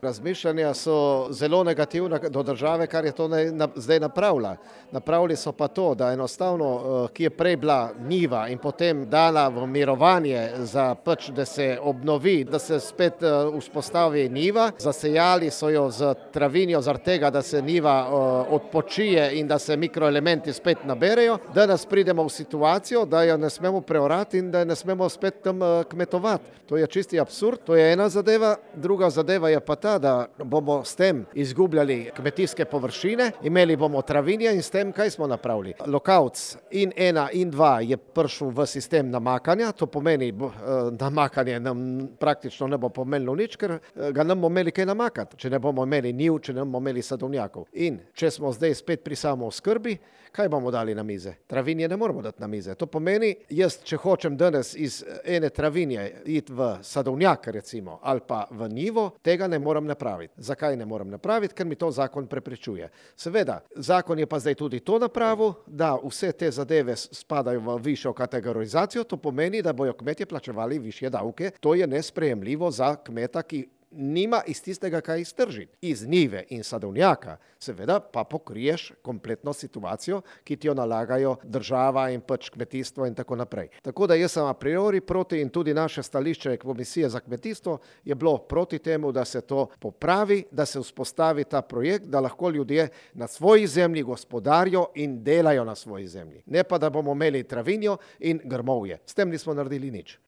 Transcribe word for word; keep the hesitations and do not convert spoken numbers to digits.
Razmišljanja so zelo negativna do države, kar je to ne, na, zdaj napravila. Napravili so pa to, da enostavno, ki je prej bila njiva in potem dala v mirovanje, za pač, da se obnovi, da se spet uh, vzpostavi njiva. Zasejali so jo z travinjo zaradi tega, da se njiva uh, odpočije in da se mikroelementi spet naberejo. Danes pridemo v situacijo, da jo ne smemo preorati in da ne smemo spet tam uh, kmetovati. To je čisti absurd, to je ena zadeva, druga zadeva je pa ta, da bomo s tem izgubljali kmetijske površine, imeli bomo travinje in s tem kaj smo napravili. Lokavc in ena in dva je prišel v sistem namakanja, to pomeni, namakanje nam praktično ne bo pomenilo nič, ker ga ne bomo imeli kaj namakati, če ne bomo imeli njiv, če ne bomo imeli sadovnjakov. In če smo zdaj spet pri samooskrbi, kaj bomo dali na mize? Travinje ne moramo dati na mize. To pomeni, jaz, če hočem danes iz ene travinje iti v sadovnjak, recimo, ali pa v njivo, tega ne morem napraviti. Zakaj ne morem napraviti? Ker mi to zakon preprečuje. Seveda, zakon je pa zdaj tudi to napravil, da vse te zadeve spadajo v višjo kategorizacijo, to pomeni, da bojo kmetje plačevali višje davke. To je nesprejemljivo za kmeta, ki nima iz tistega, kaj iztržiti. Iz njive in sadovnjaka seveda pa pokriješ kompletno situacijo, ki ti jo nalagajo država in pač kmetijstvo in tako naprej. Tako da jaz sem a priori proti in tudi naše stališče Komisije za kmetijstvo je bilo proti temu, da se to popravi, da se vzpostavi ta projekt, da lahko ljudje na svoji zemlji gospodarijo in delajo na svoji zemlji. Ne pa, da bomo imeli travinjo in grmovje. S tem nismo naredili nič.